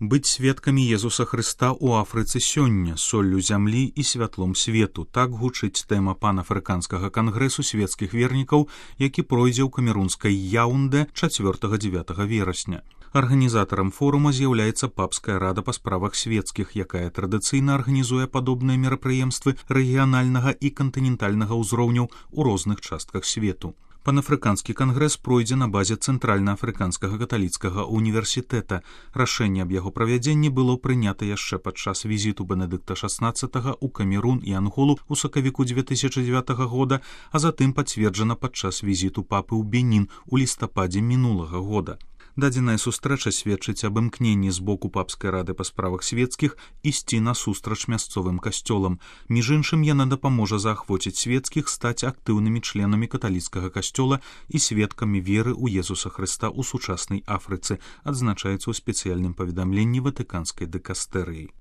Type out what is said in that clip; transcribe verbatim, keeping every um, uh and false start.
Быць сведкамі Езуса Хрыста ў Афрыцы сёння, соллю зямлі і святлом свету. Так гучыць тэма панафрыканскага кангрэсу свецкіх вернікаў, які пройдзе ў камерунскай Яунде чацвёртага-дзевятага верасня. Арганізатарам форума з'яўляецца папская рада па справах свецкіх, якая традыцыйна арганізуе падобныя мерапрыемствы рэгіянальнага і кантынентальнага ўзроўняў у розных частках свету. Панафрыканскі кангрэс пройдзе на базе Цэнтральна-афрыканскага каталіцкага універсітэта. Рашэнне аб яго правядзенні было прынята яшчэ падчас візіту Бенедыкта шаснаццатага ў Камерун і Анголу ў сакавіку дзве тысячы дзевятага года, а затым пацверджана падчас візіту папы ў Бенін у лістападзе мінулага года. Дадзеная сустрэча сведчыць аб імкненні з боку папскай рады па справах свецкіх ісці насустрач мясцовым касцёлам. Між іншым, яна дапаможа заахвоціць свецкіх стаць актыўнымі членамі каталіцкага касцёла і сведкамі веры ў Езуса Хрыста ў сучаснай Афрыцы, адзначаецца ў спецыяльным паведамленні ватыканскай дыкастэрыі.